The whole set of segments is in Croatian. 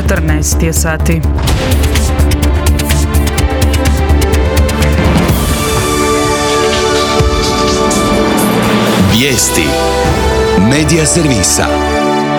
14 je sati. Vijesti Medija servisa.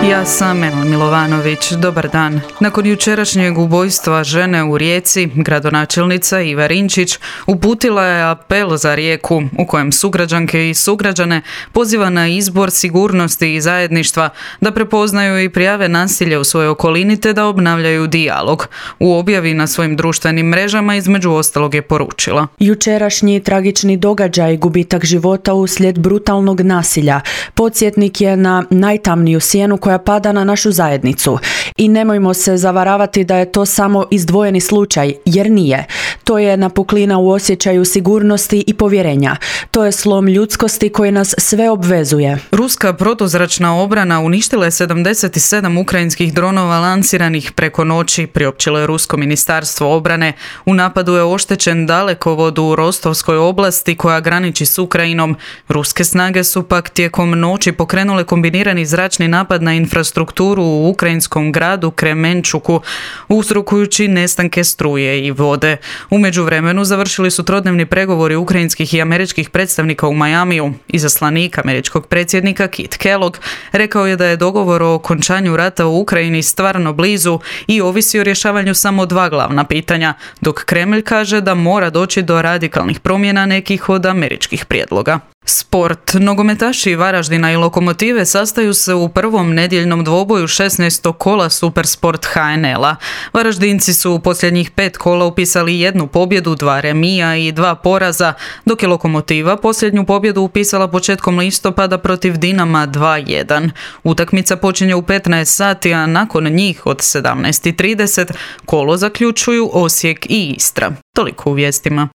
Ja sam Emil Milovanović. Dobar dan. Nakon jučerašnjeg ubojstva žene u Rijeci, gradonačelnica Iva Rinčić uputila je apel za Rijeku u kojem sugrađanke i sugrađane poziva na izbor sigurnosti i zajedništva, da prepoznaju i prijave nasilje u svojoj okolini te da obnavljaju dijalog. U objavi na svojim društvenim mrežama između ostalog je poručila: jučerašnji tragični događaj, gubitak života uslijed brutalnog nasilja, podsjetnik je na najtamniju sjenu koja pada na našu zajednicu. I nemojmo se zavaravati da je to samo izdvojeni slučaj, jer nije. To je napuklina u osjećaju sigurnosti i povjerenja. To je slom ljudskosti koji nas sve obvezuje. Ruska protuzračna obrana uništila je 77 ukrajinskih dronova lansiranih preko noći, priopćilo je Rusko ministarstvo obrane. U napadu je oštećen dalekovod u Rostovskoj oblasti koja graniči s Ukrajinom. Ruske snage su pak tijekom noći pokrenule kombinirani zračni napad na infrastrukturu u ukrajinskom gradu Kremenčuku, uzrokujući nestanke struje i vode. U međuvremenu završili su trodnevni pregovori ukrajinskih i američkih predstavnika u Majamiju. Izaslanik američkog predsjednika Kit Kellogg rekao je da je dogovor o okončanju rata u Ukrajini stvarno blizu i ovisi o rješavanju samo dva glavna pitanja, dok Kremlj kaže da mora doći do radikalnih promjena nekih od američkih prijedloga. Sport. Nogometaši Varaždina i Lokomotive sastaju se u prvom nedjeljnom dvoboju 16. kola Supersport HNL-a. Varaždinci su u posljednjih 5 kola upisali jednu pobjedu, 2 remija i 2 poraza, dok je Lokomotiva posljednju pobjedu upisala početkom listopada protiv Dinama 2-1. Utakmica počinje u 15 sati, a nakon njih od 17:30 kolo zaključuju Osijek i Istra. Toliko u vijestima.